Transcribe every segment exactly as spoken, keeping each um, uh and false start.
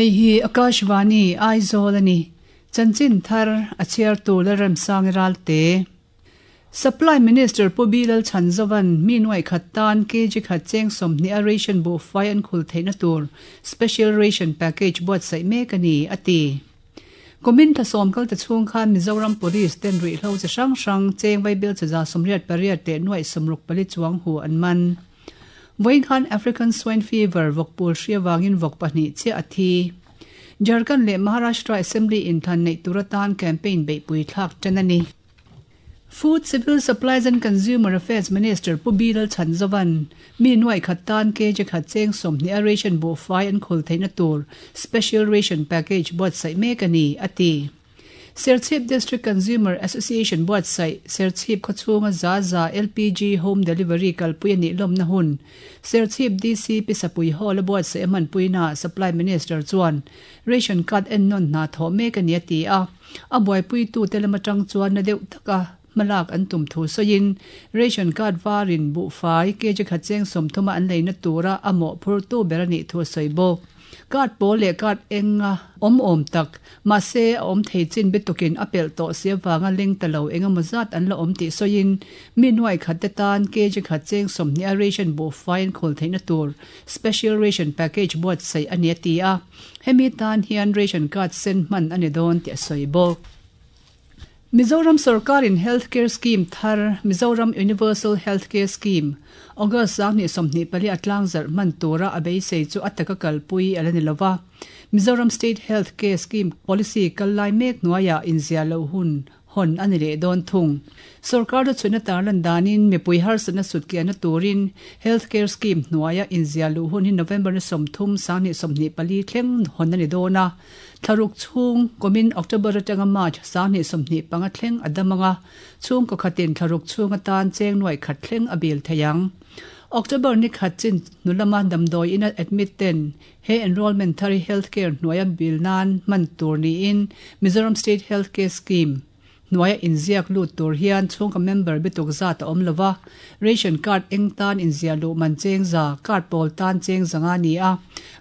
Hei hi Akashvani Aizawl ani. Chanchin thar a chhiar tu Lalremsangi Ralte. Supply Minister Pu Bilal Chhanzovan mi nuai khat tan kg khat cheng sawmhnih a ration buhfai an khul theihna tur Special Ration Package buatsaih mek a ni, a ti. Kumin thlasawm kal ta chhung khan Mizoram Police ten ruihhlo chi hrang hrang cheng vaibel chaza sawmriat pariat leh nuaih sawmruk pali chuang hu an man. Vawiin khan African Swine Fever vawkpul hri avangin vawk pahnih chiah a thi. Jharkhand leh Maharashtra Assembly inthlan neih tur atan campaign beihpui thlak tan a ni. Food, Civil Supplies and Consumer Affairs Minister Pu Bilal Chhanzovan mi nuaih khat tan kg khat cheng sawmhnih a ration buhfai an khul theihna tur Special Ration Package buatsaih mek a ni, a ti. Serchhip District Consumer Association buatsaih Serchhip khawchhunga za za L P G Home Delivery kalpui a nih lawmna hun Serchhip D C Pisapui Hall a buatsaih a hmanpuina Supply Minister chuan ration card ennawn hna thawh mek a ni a ti a. A buaipuitute lam atang chuan na deuh taka hmalak an tum thu sawiin ration card varin buhfai kg khat cheng sawmthuma an leina tura a mawhphurtu ber a nih thu a sawi bawk. Card pawl leh card enga awm awm tak mahse a awm thei chin bitukin a pelh tawh si avanga leng ta lo engemaw zat an la awm tih sawiin mi nuai khat te tan kg khat cheng sawmhnih a ration buhfai an khul theihna tur Special Ration Package buatsaih a ni a ti a. Hemi tan hian ration card sen hman a ni dawn tih a sawi bawk. Mizoram sorkarin Healthcare Scheme thar Mizoram Universal Healthcare Scheme August sanghnih sawmhnih pali a tlangzarh hman tura a beisei chu a taka kalpui a la ni lova. Mizoram State Healthcare Scheme Policy kal lai mek hnuaiah inziah loh hun hawn a ni leh dawn thung. Sorkar chu chhuina tarlan danin mipui harsatna sutkiahna turin Healthcare Scheme hnuaia inziah luh hun hi November ni sawmthum sanghnih sawmhnih pali thleng hawn a ni dawn a. Thlaruk chhung kumin October atanga March sanghnih sawmhnih panga thleng a dam anga chhungkaw khatin thlaruk chhung atan cheng nuai khat thleng a bil thei ang. October ni khat chin hnulama damdawi ina admit ten he enrollment thar hi Healthcare hnuaia bil nan hman tur niin Mizoram State Healthcare Scheme hnuaia inziak lut tur hian chhungkaw member bituk zat a awm lova. Ration card eng tan inziah luh man cheng za, card pawl tan cheng zanga ni a,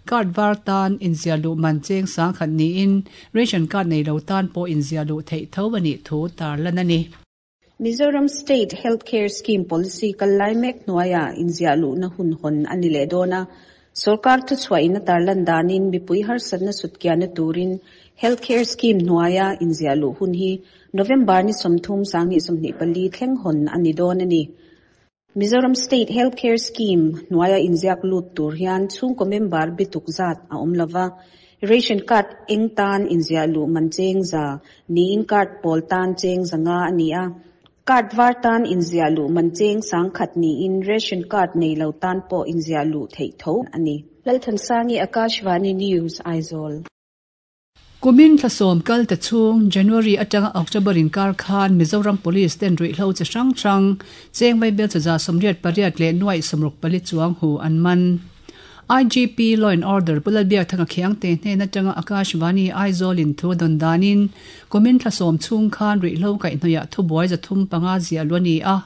card var tan inziah luh man cheng sang khat niin ration card nei lo tan pawh inziah luh theih tho a nih thu tarlan a ni. Mizoram State Healthcare Scheme Policy kal lai mek hnuaia inziah luhna hun hawn a ni leh dawn a. Sorkar thu chhuahin a tarlan danin mipui harsatna sutkiahna turin Healthcare Scheme hnuaia inziah luh hun hi November ni sawmthum sanghnih sawmhnih pali thleng hawn a ni dawn a ni. Mizoram State Healthcare Scheme hnuaia inziak lut tur hian chhungkaw member bituk zat a awm lova. Ration card eng tan inziah luh man cheng za niin card pawl tan cheng zanga a ni a. Card var tan inziah luh man cheng sang khat niin ration card nei lo tan pawh inziah luh theih tho a ni. Lalthansangi, Akashvani News, Aizawl. Kumin thlasawm kal ta chhung January atanga October in kar khan Mizoram Police ten ruihhlo chi hrang hrang cheng vaibel chaza sawmriat pariat leh nuaih sawmruk pali chuang hu an man. I G P Law and Order Pu Lalbiakthanga Khiangte hnen atanga Akashvani Aizawl in thu dawn danin kumin thlasawm chhung khan ruihhlo kaihhnawih thubuai zathum panga ziah lu a ni a.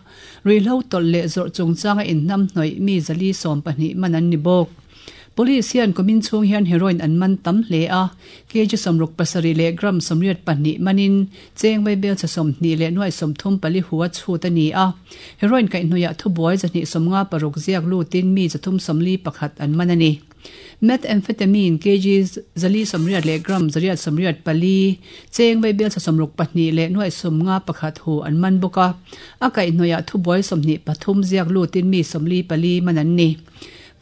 Ruihhlo tawlh leh zawrh chungchanga inhnam hnawih mi zali sawm pahnih man an ni bawk. Police hian kumin chhung hian heroin an man tam hle a, kg sawmruk pasarih leh gram sawmriat pahnih manin cheng vaibel cha sawmhnih leh nuaih sawmthum pali hu a chhut a ni a. Heroin kaihhnawih thubuai zahnih sawmnga paruk ziak lutin mi zathum sawmli pakhat an man a ni. Methamphetamine kg zali sawmriat leh gram zariat sawmriat pali cheng vaibel cha sawmruk pahnih leh nuaih sawmnga pakhat hu an man bawk a. A kaihhnawih thubuai sawmhnih pathum ziak lutin mi sawmli pali man an ni.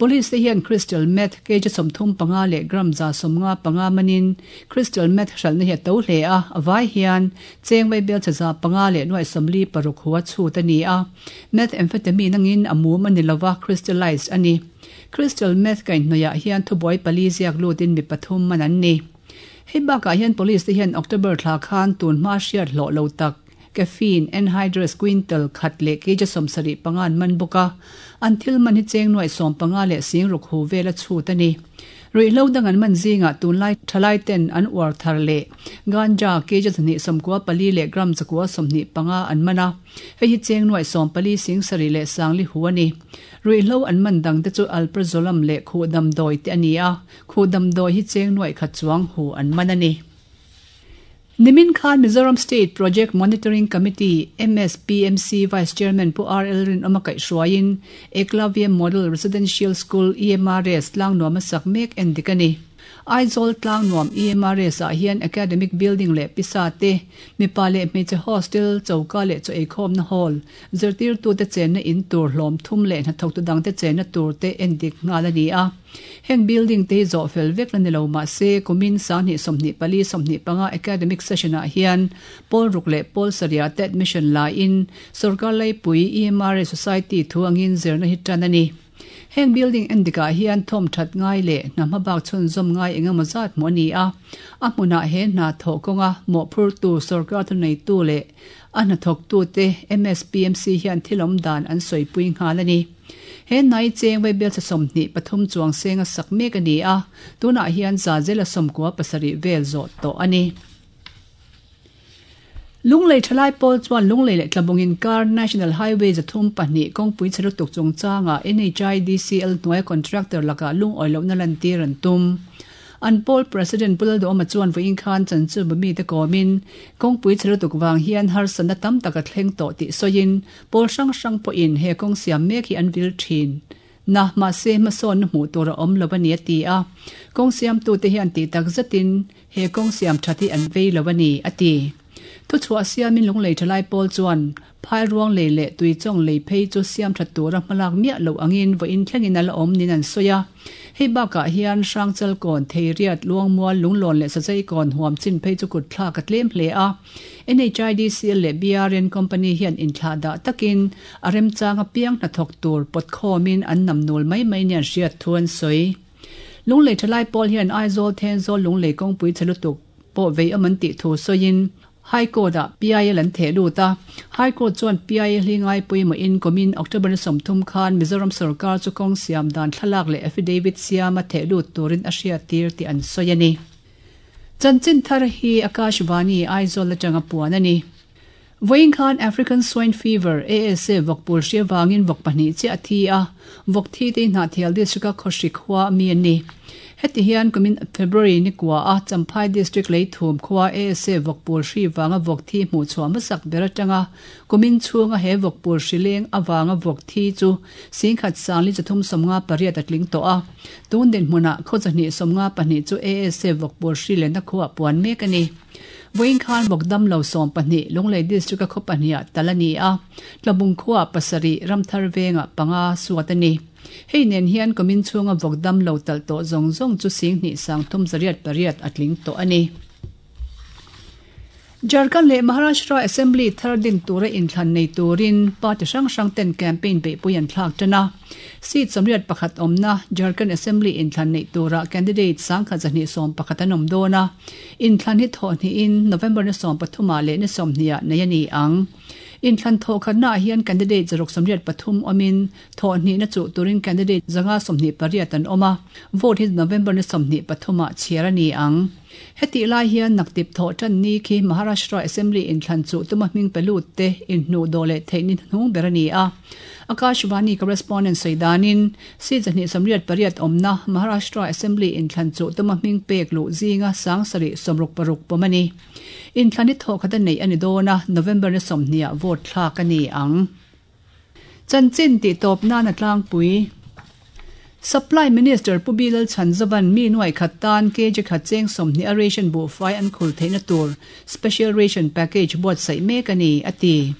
Police te hian crystal meth kg sawmthum panga leh gram za sawmnga panga manin crystal meth hralhna hi a to hle a. Awai hian cheng vaibel chaza panga leh nuaih sawmli paruk hu a chhut a ni a. Methamphetamine angin a mum a ni lova, crystallized a ni. Crystal meth kaihhnawih hian thubuai pali ziak lutin mi pathum man an ni. Hei bakah hian police te hian October thla khan tun hma hriat hlawh lo tak caffeine anhydrous quintal khat leh kg sawmsarih panga an man bawk a. An thil man hi cheng nuaih sawm panga leh sing ruk hu vel a chhut a ni. Ruihhlo dang an man zingah tunlai thalai ten an uar thar leh ganja kg zahnih sawmkua pali leh gram zakua sawmhnih panga an man a. Hei hi cheng nuai sawm pali sing sarih leh sangli hu a ni. Ruihhlo an man dang te chu alprazolam leh khuh damdawi te a ni a. Khuh damdawi hi cheng nuai khat chuang hu an man a ni. Nimin khan Mizoram State Project Monitoring Committee, M S P M C, Vice Chairman Pu R L Rinawma kaihhruaiin Eklavya Model Residential School, E M R S, Tlangnuam a sak mek en dik a ni. Aizawl Tlangnuam E M R S ah hian Academic Building leh pisa te, mipa leh hmeichhe hostel, choka leh chaw eikhawmna hall, zirtirtute chenna in tur hlawm thum leh hnathawktu dangte chenna tur te en dik nghal a ni a. Heng building te hi zawh fel vek la ni lo mahse kumin sanghnih sawmhnih pali sawmhnih panga academic session ah hian pawl ruk leh pawl sarih te admission laiin sarkar laipui E M R S Society thu angin zirna hi tan a ni. Heng building en dikah hian thawm that ngai leh hna hmabak chhunzawm ngai engemaw zat hmuh a ni a. A hmunah he hna thawh kawnga mawhphur tu sarkar thu neitu leh a hnathawk tu te M S P M C hian thilawm dan an sawipui nghal a ni. He nai cheng vai bel sawmhnih pathum chuang senga sak mek a ni a. Tunah hian za zela sawmkua pasarih vel zawh tawh a ni. Lunglei thalai pawl chuan Lunglei leh Tlabungin kar National Highway zathum pahnih kawngpui chhelutuk chungchanga N H I D C L hnuai contractor lakah lungawi lohna lantir an tum. An pawl President Pu Lalduhawma chuan vawiin khan chanchu bami te kawmin kawngpui chhelutuk wang hian harsatna tam tak a thleng tawh tih sawiin pawl hrang hrang pawhin he kawng siam mek hi an vil thin. Na mahse hmasawn na hmuh tur a awm lo a ni a ti a. Kawng siamtu te hian tih tak zetin he kawng siam that hi an vei lo a ni a ti. Thu chhuah siamin Lunglei thalai pawl chuan phai ruang lei leh tui chawng lei phei chu siam that tura hmalak miah lo angin vawiin thlengin a la awm nin an sawi a. Hei bakah hian hrangchal kawn theiriat luangmual lunglawn leh sazai kawn huam chin phei chu kut thlak a tlem hle a. N H I D C L leh B R N Company hian inthlah dah takin a remchang a piang hnathawk tur pawt khawmin an namnul mai mai ni an hriat thu an sawi. Lunglei thalai pawl hian Aizawl Thenzawl Lunglei kawngpui chhelutuk pawh vei awm an tih thu sawiin High Court ah P I L an theh lut a. High Court chuan P I L hi ngai pawimawh in kumin October ni sawmthum khan Mizoram sarkar chu kawng siam dan thlalak leh affidavit siam a theh lut turin a hriat tir tih an sawi a ni. Chanchin thar hi Akashvani Aizawl atanga puan a ni. Vawiin khan African Swine Fever A S A vawkpul hria wangin vawk pahnih che a thi a. Vawk thi te hna thial district a khawhri khua mi an ni. Heti hian kumin February ni kwa a Champhai district lei thum khua A S A vawkpul hri wanga vawk thi hmuh chhuah hmasak ber atanga kumin chhunga he vawkpul hri leng awanga vawk thi chu singkhat sangli chathum sawmnga pariat a tling tawh a. Tun din hmunah khaw chahnih sawmnga pahnih chu A S A vawkpul hri lenna khuah puan mek a ni. Vawiin khan vawk dam lo sawm pahnih Lunglei district a khaw pahnih ah tal a ni a. Tlabung khuah pasarih Ramthar vengah panga suat a ni. Hei nen hian kumin chhunga vawk dam lo tal tawh zawng zawng chu singhnih sang thum zariat pariat a tling tawh a ni. Jharkhand leh Maharashtra Assembly thar din tura inthlan nei turin party hrang hrang ten campaign beihpui an thlak tan a. Seat sawmriat pakhat awmna Jharkhand Assembly inthlan nei tura candidate sangkhat zahnih sawm pakhat an awm dawn a. Inthlan hi thawh hnihin November ni sawm pathumah leh ni sawmhnih ah nei a ni ang. Inthlan thawh khatna ah hian candidate zaruk sawmriat pathum awmin thawh hnih na chu turin candidate zanga sawmhnih pariat an awm a. Vote hi November ni sawmhnih pathumah chhiar a ni ang. Heti lai hian naktip thawh tan ni khi Maharashtra Assembly inthlan chu tuma hming pelut te inhnu do leh theih ni hnung ber a ni a. Akashvani correspondent Saidanin si zahnih sawmriat pariat awmna Maharashtra Assembly inthlan chu tuma hming pek lu zinga sangsari sawmruk paruk pawm a ni. Inthlan hi thawh khat a nei a ni dawn a. November ni sawmhnih ah vote thlak a ni ang. Chanchin tih tawp nan a tlangpui. Supply Minister Pu B Lalchhanzovan mi nuai khat tan K G khat cheng sawmhnih a ration buhfai an khul theihna tur Special Ration Package buatsaih mek a ni a ti.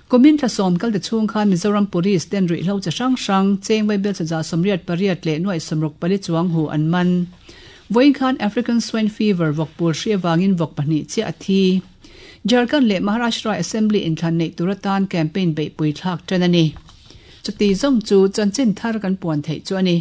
Kumin thla sawm kal te chhung khan Mizoram Police ten ruihhlo chi hrang hrang cheng vai bel chaza sawmriat pariat leh nuai sawmruk pali chuang hu an man. Vawiin khan African Swine Fever vawkpul hri awangin vawk pahnih che a thi. Jharkhand leh Maharashtra Assembly inthlan nei tur atan campaign beihpui thlak tan a ni. Chuti zawng chu chanchin thar kan puan theih chu a ni.